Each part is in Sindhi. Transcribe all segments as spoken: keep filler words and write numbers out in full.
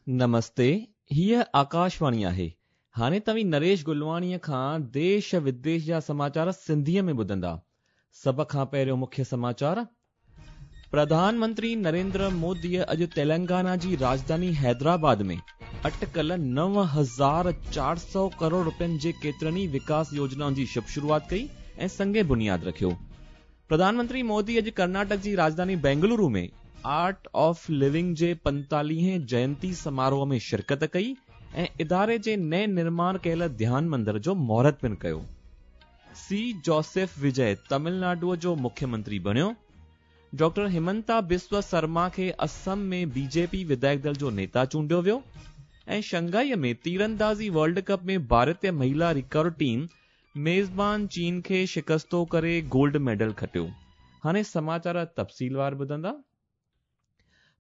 نمستي، هيء آڪاشواڻي آهي. هاڻي توهين نريش گلواڻيءَ کان ديش وديش جا سماچار سنڌيءَ ۾ ٻڌندا. سڀ کان پهريون مکيه سماچار. پرڌان منتري نريندر موديءَ اڄ تيلنگانا جي راڄڌاني حيدرآباد ۾ اٽڪل نو هزار چار سؤ ڪروڙ رپين جي ڪيترن ئي وڪاس يوجنائن جي شڀ شروعات ڪئي ۽ سنگ بنياد رکيو. پرڌان منتري مودي اڄ ڪرناٽڪ جي راڄڌاني بينگلورو ۾ آرٽ آف لونگ جي پنتاليهين جينتي سماروهه ۾ شرڪت ڪئي ۽ اداري جي نئين نرماڻ ڪيل ڌيان مندر جو مهورت پڻ ڪيو. سي جوسيف وجي تامل ناڊوءَ جو مکيه منتري بڻيو. ڊاڪٽر همنتا بسوا شرما کي اسم ۾ بي جي پي وڌايڪ دل جو نيتا چونڊيو ويو ۽ شنگهائيءَ ۾ تيراندازي ورلڊ ڪپ ۾ ڀارتيه مهلا رڪارڊ ٽيم ميزبان چين کي شڪستو ڪري گولڊ ميڊل کٽيو. هاڻي سماچار تفصيلوار ٻڌندا.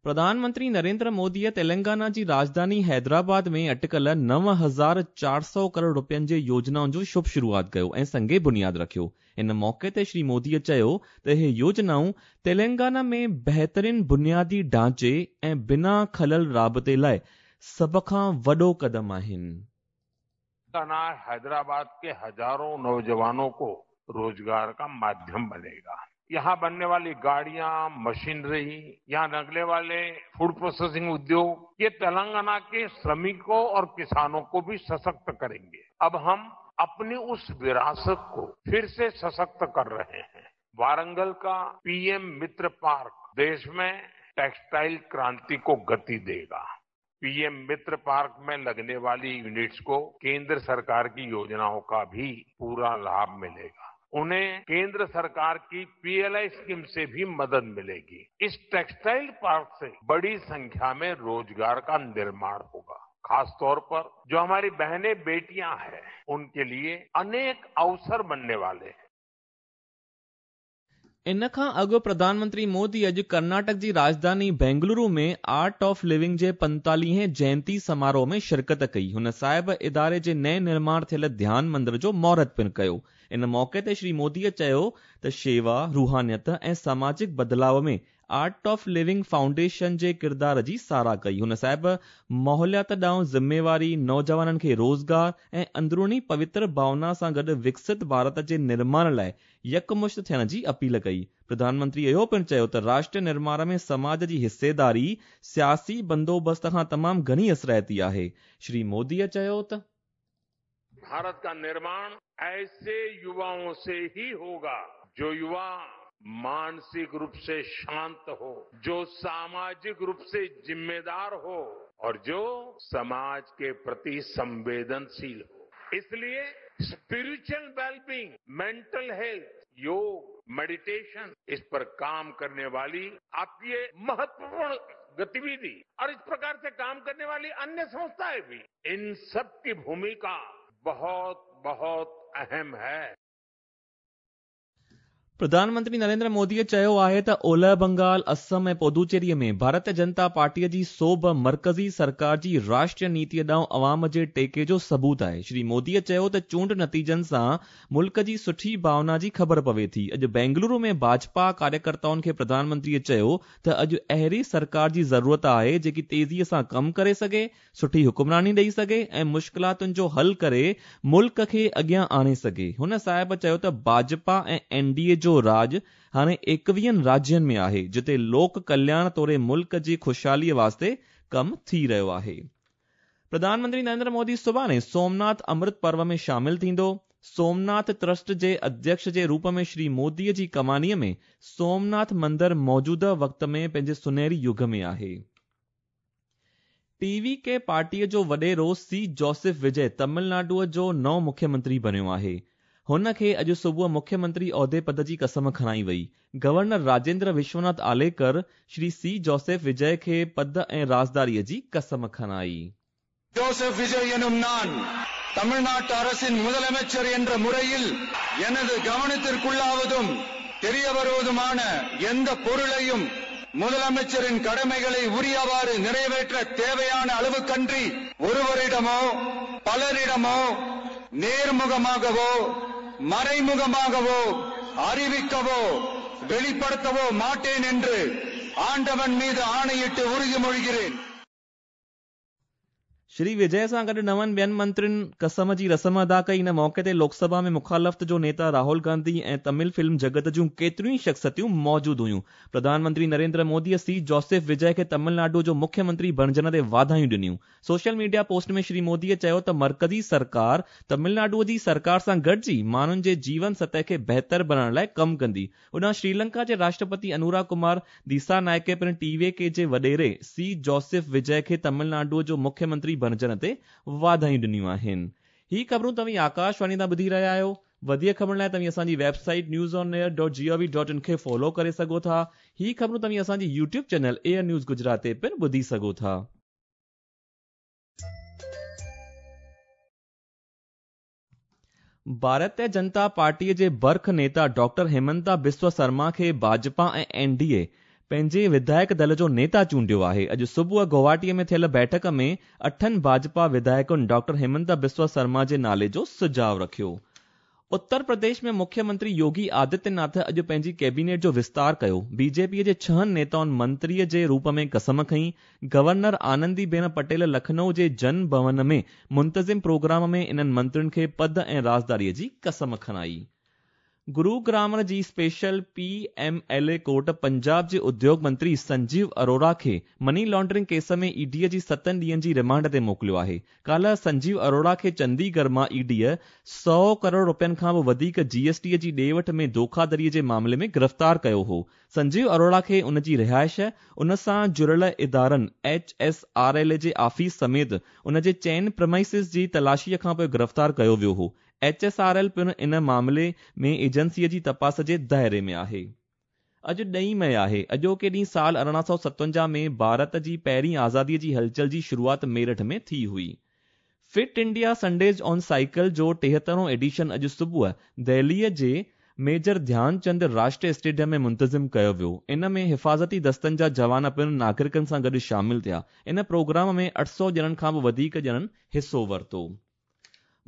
پرڌان منتري نريندر موديءَ تيلنگانا جي راڄڌاني حيدرآباد ۾ اٽڪل نو هزار چار سؤ ڪروڙ رپين جي يوجنائن جو شڀ شروعات ڪيو ۽ سنگ بنياد رکيو. ان موقعي تي شري موديءَ چيو ته اهي يوجنائون تيلنگانا ۾ بهترين بنيادي ڍانچي ۽ بنا خلل رابطي لاءِ سڀ کان وڏو قدم آهن. हैदराबाद के हजारों नौजवानों को रोजगार का माध्यम बनेगा। यहाँ बनने वाली गाड़ियां, मशीनरी, यहाँ लगने वाले फूड प्रोसेसिंग उद्योग, ये तेलंगाना के श्रमिकों और किसानों को भी सशक्त करेंगे। अब हम अपनी उस विरासत को फिर से सशक्त कर रहे हैं। वारंगल का पीएम मित्र पार्क देश में टेक्सटाइल क्रांति को गति देगा। पीएम मित्र पार्क में लगने वाली यूनिट्स को केंद्र सरकार की योजनाओं का भी पूरा लाभ मिलेगा। उन्हें केंद्र सरकार की पीएलआई स्कीम से भी मदद मिलेगी। इस टेक्सटाइल पार्क से बड़ी संख्या में रोजगार का निर्माण होगा। खासतौर पर जो हमारी बहनें बेटियां हैं, उनके लिए अनेक अवसर बनने वाले हैं। इन खां अॻु प्रधान मंत्री मोदी अॼु कर्नाटक जी राजधानी बेंगलुरु में आर्ट ऑफ लिविंग जे पंतालीहें जयंती समारोह में शिरकत कई। हुन साहिब इदारे जे नए निर्माण थियल ध्यान मंदिर जो मुहूर्त पिणु कयो। इन मौक़े ते श्री मोदीअ चयो त शेवा, रूहानियत ऐं सामाजिक बदिलाव में आर्ट ऑफ लिविंग फाउंडेशन जे किरदार जी सराह कई। हुन साहिब माहौलियात ॾांहुं ज़िम्मेवारी, नौजवाननि खे रोज़गार ऐं अंदरूनी पवित्र भावना सां गॾु विकसित भारत जे निर्माण लाइ यकमुश्त थियण जी अपील कई। प्रधानमंत्री इहो पिणु चयो त राष्ट्र निर्माण में समाज जी हिस्सेदारी सियासी बंदोबस्त खां तमामु घणी असराइती आहे। श्री मोदीअ चयो त भारत का निर्माण ऐसे युवाओं से ही होगा जो युवा मानसिक रूप से शांत हो, जो सामाजिक रूप से जिम्मेदार हो और जो समाज के प्रति संवेदनशील हो। इसलिए स्पिरिचुअल वेलबींग, मेंटल हेल्थ, योग, मेडिटेशन, इस पर काम करने वाली आपकी ये महत्वपूर्ण गतिविधि और इस प्रकार से काम करने वाली अन्य संस्थाएं भी, इन सब की भूमिका बहुत बहुत अहम है। प्रधानमंत्री नरेंद्र मोदीअ चयो आहे त ओलह बंगाल, असम ऐं पुदुचेरीअ में भारतीय जनता पार्टीअ जी सोभ मर्कज़ी सरकार जी राष्ट्रीय नीतीअ ॾांहुं अवाम जे टेके जो सबूत आहे। श्री मोदीअ चयो त चूंड नतीजनि सां मुल्क जी सुठी भावना जी ख़बर पवे थी। अॼु बेंगलुरु में भाजपा कार्यकर्ताउनि खे प्रधानमंत्रीअ चयो त अॼु अहिड़ी सरकार जी ज़रूरत आहे जेकी तेज़ीअ सां कमु करे सघे, सुठी हुकुमरानी ॾेई सघे ऐं मुश्किलातुनि जो हल करे मुल्क खे अॻियां आणे सघे। हुन साहिब चयो त भाजपा ऐं एन डी ए जो राज हाणे एकवीहनि राज्यनि में आहे, जिते लोक कल्याण तोड़े मुल्क जी ख़ुशहालीअ वास्ते कमु थी रहियो आहे। प्रधानमंत्री नरेंद्र मोदी सुभाणे सोमनाथ अमृत पर्व में शामिल थींदो। सोमनाथ ट्रस्ट जे अध्यक्ष जे रूप में श्री मोदीअ जी कमानीअ में सोमनाथ मंदिर मौजूदा वक़्त में पंहिंजे सुनहरी युग में आहे। टीवी के पार्टीअ जो वॾेरो सी जोसेफ विजय तमिलनाडुअ जो नओं मुख्यमंत्री बणियो आहे। हुन खे अॼु सुबुह मुख्यमंत्री ओहदे पद जी कसम खणाई वई। Governor Rajendra Vishwanath Arlekar Shri C Joseph Vijay खे पद ऐं राज़दारीअ जी कसम खणाई। ஜோசப் விஜய் எனும் நான் தமிழ்நாட்டு அரசின் முதலமைச்சர் என்ற முறையில் எனது கவனத்திற்குள்ளாவதும் தெரிய வருவதுமான எந்த பொருளையும் முதலமைச்சரின் கடமைகளை உரியவாறு நிறைவேற்ற தேவையான அளவுக்கன்றி ஒருவரிடமோ பலரிடமோ நேர்முகமாகவோ மறைமுகமாகவோ அறிவிக்கவோ வெளிப்படுத்தவோ மாட்டேன் என்று ஆண்டவன் மீது ஆணையிட்டு உறுதிமொழிகிறேன். شري وجي سان گڏ نون ٻين منترين قسم جي رسم ادا ڪئي. ان موقعي تي لوڪ سڀا ۾ مخالفت جو نيتا راهول گانڌي ۽ تمل فلم جڳت جون ڪيتريون ئي شخصيتون موجود هيون. پرڌان منتري نريندر موديء سي جوسف وجي کي تمل ناڊو جو مکيه منتري بڻجڻ تي واڌايون ڏنيون. سوشل ميڊيا پوسٽ ۾ شري موديء چيو ته مرڪزي سرڪار تمل ناڊو جي سرڪار سان گڏجي ماڻهن جي جيون سطح کي بهتر بڻائڻ لاء ڪم ڪندي. هوڏانهن شريلنڪا جي راشٽرپتي انورا ڪمار ديسا نائڪي پڻ ٽي وي ڪي جي وڏيري سي جوسف وجي کي تمل ناڊو جو مکيه منتري بڻجڻ تي واڌايون ڏنيون آهن. هي خبرون توهين آڪاشواڻي تان ٻڌي رهيا آهيو. وڌيڪ خبرن لاءِ توهين اسان جي website news on air dot G O V dot in کي فالو ڪري سگهو ٿا. هي خبرون توهين اسان جي YouTube channel air news Gujarat تي پڻ ٻڌي سگهو ٿا. ڀارتيه جنتا پارٽيءَ جي برک نيتا ڊاڪٽر هيمنتا بسوا شرما کي ڀاجپا ۽ اين ڊي اي پنهنجي وڌايڪ دل جو نيتا چونڊيو آهي. اڄ صبح گوهاٽيءَ ۾ ٿيل بيٺڪ ۾ اٺن ڀاجپا وڌايڪن ڊاڪٽر هيمنتا بسوا شرما جي نالي جو سجهاءُ رکيو. اتر پرديش ۾ مکيه منتري يوگي آدتيه ناٿ اڄ پنهنجي ڪيبينيٽ جو وستار ڪيو. بي جي پيءَ جي ڇهن نيتائن منتريءَ جي روپ ۾ قسم کنئي. گورنر آنندي بين پٽيل لکنؤ جي جن ڀون ۾ منتظم پروگرام ۾ انهن منترين کي پد ۽ رازداريءَ جي قسم کڻائي. گروگرام جي special P M L A court Punjab جي اديوگ منتري سنجيو اروڙا کي مني لانڊرنگ ڪيس ۾ اي ڊيءَ جي ستن ڏينهن جي رمانڊ تي موڪليو آهي. ڪالهه سنجيو اروڙا کي چنديڳڙهه مان اي ڊيءَ سؤ ڪروڙ رپين کان به وڌيڪ جي ايس ٽيءَ جي ڏي وٺ ۾ ڌوکاڌڙيءَ جي معاملي ۾ گرفتار ڪيو هو. سنجيو اروڙا کي ان جي رهائش، ان سان جڙيل ادارن ايڇ ايس آر ايل جي آفيس سميت ان جي چئن پريمائسز جي تلاشيءَ کان پوءِ گرفتار ڪيو ويو هو. ايڇ ايس آر ايل پڻ ان معاملي ۾ ايجنسيءَ جي تپاس جي دائري ۾ آهي. اڄ ڏهين مئي آهي. اڄوڪي ڏينهن سال ارڙهن سؤ ستونجاهه ۾ ڀارت جي پهرين آزاديءَ جي هلچل جي شروعات ميرٺ ۾ ٿي هئي. Fit India Sundays on cycle جو ٽيهترهون ايڊيشن اڄ صبح دهليءَ جي ميجر ڌيانچند راشٽريه اسٽيڊيم ۾ منتظم ڪيو ويو. ان ۾ حفاظتي دستن جا جوان پڻ ناگرڪن سان گڏ شامل ٿيا. ان پروگرام ۾ اٺ سؤ ڄڻن کان به وڌيڪ ڄڻن حصو ورتو.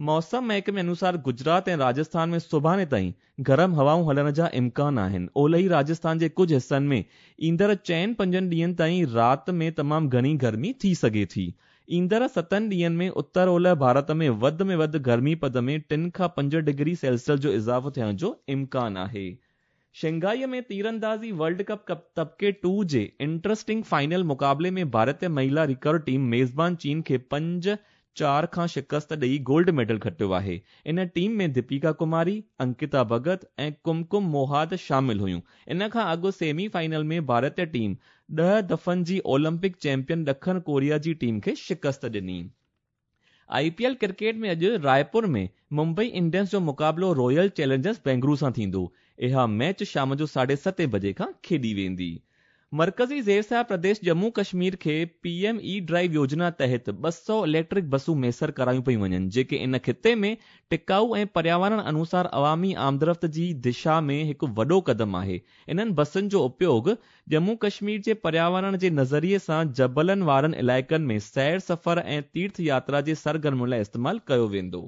موسم محڪمي انوسار گجرات ۽ راجسٿان ۾ سڀاڻي تائين گرم هوائون هلڻ جا امڪان آهن. اولهي راجسٿان جي ڪجهه حصن ۾ ايندڙ چئن پنجن ڏينهن تائين رات ۾ تمام گهڻي گرمي ٿي سگهي ٿي. ايندڙ ستن ڏينهن ۾ اتر اولهه ڀارت ۾ وڌ ۾ وڌ گرمي پد ۾ ٽن کان پنج ڊگري سيلسيس جو اضافو ٿيڻ جو امڪان آهي. شنگهائيءَ ۾ تيراندازي ورلڊ ڪپ طبقي ٽو جي انٽرسٽنگ فائنل مقابلي ۾ ڀارتيه مهلا ريڪرو ٽيم ميزبان چين کي پنج چار کان شڪست ڏيئي گولڊ ميڊل کٽيو آهي. ان ٽيم ۾ ديپيڪا ڪماري، انڪتا ڀڳت ۽ ڪمڪم موهاد شامل هيون. ان کان اڳ سيمي فائنل ۾ ڀارتيه ٽيم ڏهه دفعن جي اولمپڪ چيمپيئن ڏکڻ ڪوريا جي ٽيم کي شڪست ڏني. I P L cricket ۾ اڄ رائپور ۾ ممبئي انڊينز جو مقابلو رائل چئلينجرز بينگلورو سان ٿيندو. اها ميچ شام جو ساڍي ستين بجي کان کيڏي ويندي. مرڪزي زير پرديش ڄمون ڪشمير کي پي ايم اي ڊرائيو يوجنا تحت ٻه سؤ اليڪٽرڪ بسون ميسر ڪرايون پيون وڃن، جيڪي ان خطي ۾ ٽڪائو ۽ پرياورڻ انوسار عوامي آمدرفت جي دشا ۾ هڪ وڏو قدم آهي. انهن بسن جو اپيوگ ڄمون ڪشمير جي پرياورڻ جي نظريي سان جبلن وارن علائقن ۾ سير سفر ۽ تيرٿ ياترا جي سرگرمين لاءِ استعمال ڪيو ويندو.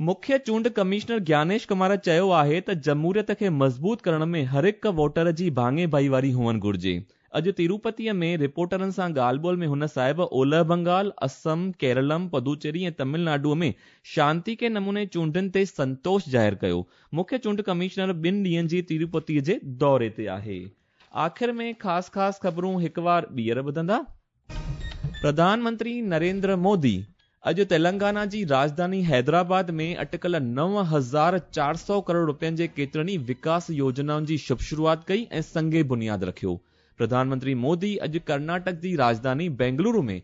مکيه چونڊ ڪمشنر گيانيش ڪمار چيو آهي ته جمهوريت کي مضبوط ڪرڻ ۾ هر هڪ ووٽر جي ڀاڱي ڀائيواري هئڻ گهرجي. اڄ تروپتيءَ ۾ رپورٽرن سان ڳالهه ٻولهه ۾ هن صاحب اولهه بنگال، اسم، ڪيرلم، پدوچيري ۽ تامل ناڊوءَ ۾ شانتيڪي نموني چونڊن تي سنتوش ظاهر ڪيو. مکيه چونڊ ڪمشنر ٻن ڏينهن جي تروپتيءَ جي دوري تي آهي. آخر ۾ خاص خاص خبرون هڪ وار ٻيهر ٻڌندا. پرڌان منتري نريندر مودي اڄ تيلنگانا جي راڄڌاني حيدرآباد ۾ اٽڪل نو هزار چار سؤ ڪروڙ رپين جي ڪيترن ئي وڪاس يوجنائن جي شڀ شروعات ڪئي ۽ سنگ بنياد رکيو. پرڌان منتري مودي اڄ ڪرناٽڪ جي راڄڌاني بينگلورو ۾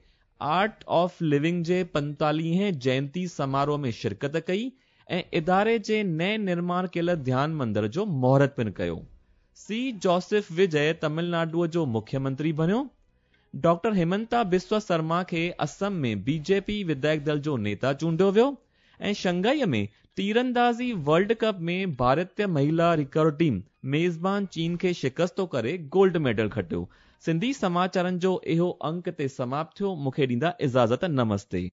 آرٽ آف لونگ جي پنتاليهين جينتي سماروهه ۾ شرڪت ڪئي ۽ اداري جي نئين نرماڻ ڪيل ڌيان مندر جو مهورت پڻ ڪيو. سي جوسف وجي تامل ناڊوءَ جو مکيه منتري بڻيو. ڊاڪٽر هيمنتا بسوا شرما کي اسم ۾ بي جي پي وڌايڪ دل جو نيتا چونڊيو ويو ۽ شنگهائيءَ ۾ تيراندازي ورلڊ ڪپ ۾ ڀارتيه مهلا ريڪرو ٽيم ميزبان چين کي شڪست ڪري گولڊ ميڊل کٽيو. سنڌي سماچارن جو اهو انڪ تي سماپت ٿيو. مون کي ڏيندا اجازت. نمستي.